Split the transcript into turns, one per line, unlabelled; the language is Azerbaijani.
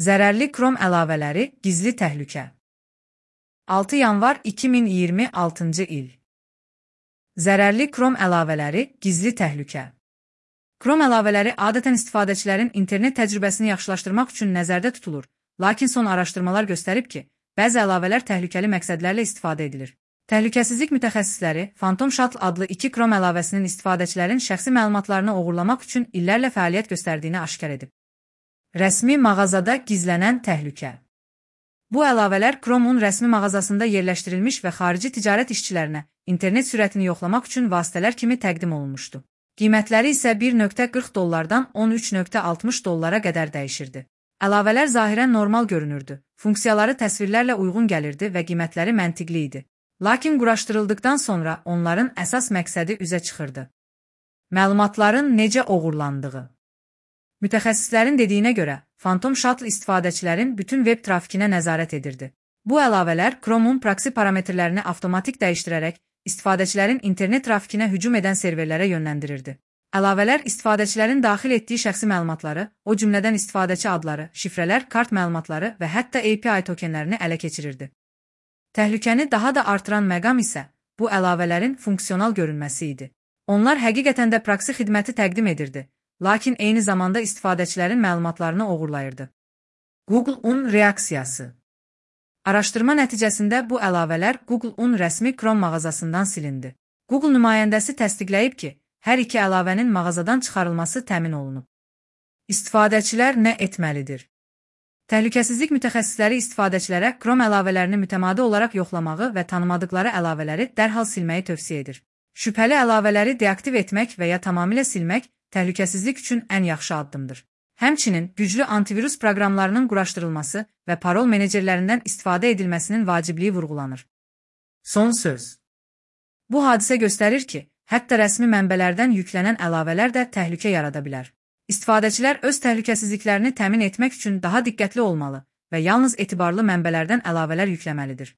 Zərərli Chrome əlavələri gizli təhlükə. 6 yanvar 2026-cı il. Zərərli Chrome əlavələri gizli təhlükə. Chrome əlavələri adətən istifadəçilərin internet təcrübəsini yaxşılaşdırmaq üçün nəzərdə tutulur, lakin son araşdırmalar göstərib ki, bəzi əlavələr təhlükəli məqsədlərlə istifadə edilir. Təhlükəsizlik mütəxəssisləri Phantom Shuttle adlı 2 Chrome əlavəsinin istifadəçilərin şəxsi məlumatlarını oğurlamaq üçün illərlə fəaliyyət göstərdiyini aşkar edib. Rəsmi mağazada gizlənən təhlükə. Bu əlavələr Chrome'un rəsmi mağazasında yerləşdirilmiş və xarici ticarət işçilərinə internet sürətini yoxlamaq üçün vasitələr kimi təqdim olunmuşdu. Qiymətləri isə $1.40-dan $13.60 qədər dəyişirdi. Əlavələr zahirən normal görünürdü, funksiyaları təsvirlərlə uyğun gəlirdi və qiymətləri məntiqli idi. Lakin quraşdırıldıqdan sonra onların əsas məqsədi üzə çıxırdı. Məlumatların necə oğurlandığı. Mütəxəssislərin dediyinə görə, Phantom Shuttle istifadəçilərin bütün web trafikinə nəzarət edirdi. Bu əlavələr Chrome'un proksi parametrlərini avtomatik dəyişdirərək istifadəçilərin internet trafikinə hücum edən serverlərə yönləndirirdi. Əlavələr istifadəçilərin daxil etdiyi şəxsi məlumatları, o cümlədən istifadəçi adları, şifrələr, kart məlumatları və hətta API tokenlərini ələ keçirirdi. Təhlükəni daha da artıran məqam isə bu əlavələrin funksional görünməsi idi. Onlar həqiqətən də proksi xidməti təqdim edirdi, lakin eyni zamanda istifadəçilərin məlumatlarını oğurlayırdı. Google-un reaksiyası. Araşdırma nəticəsində bu əlavələr Google-un rəsmi Chrome mağazasından silindi. Google nümayəndəsi təsdiqləyib ki, hər iki əlavənin mağazadan çıxarılması təmin olunub. İstifadəçilər nə etməlidir? Təhlükəsizlik mütəxəssisləri istifadəçilərə Chrome əlavələrini mütəmadi olaraq yoxlamağı və tanımadıqları əlavələri dərhal silməyi tövsiyə edir. Şübhəli əlavələri deaktiv etmək və ya tamamilə silmək təhlükəsizlik üçün ən yaxşı addımdır. Həmçinin güclü antivirus proqramlarının quraşdırılması və parol menecerlərindən istifadə edilməsinin vacibliyi vurğulanır. Son söz. Bu hadisə göstərir ki, hətta rəsmi mənbələrdən yüklənən əlavələr də təhlükə yarada bilər. İstifadəçilər öz təhlükəsizliklərini təmin etmək üçün daha diqqətli olmalı və yalnız etibarlı mənbələrdən əlavələr yükləməlidir.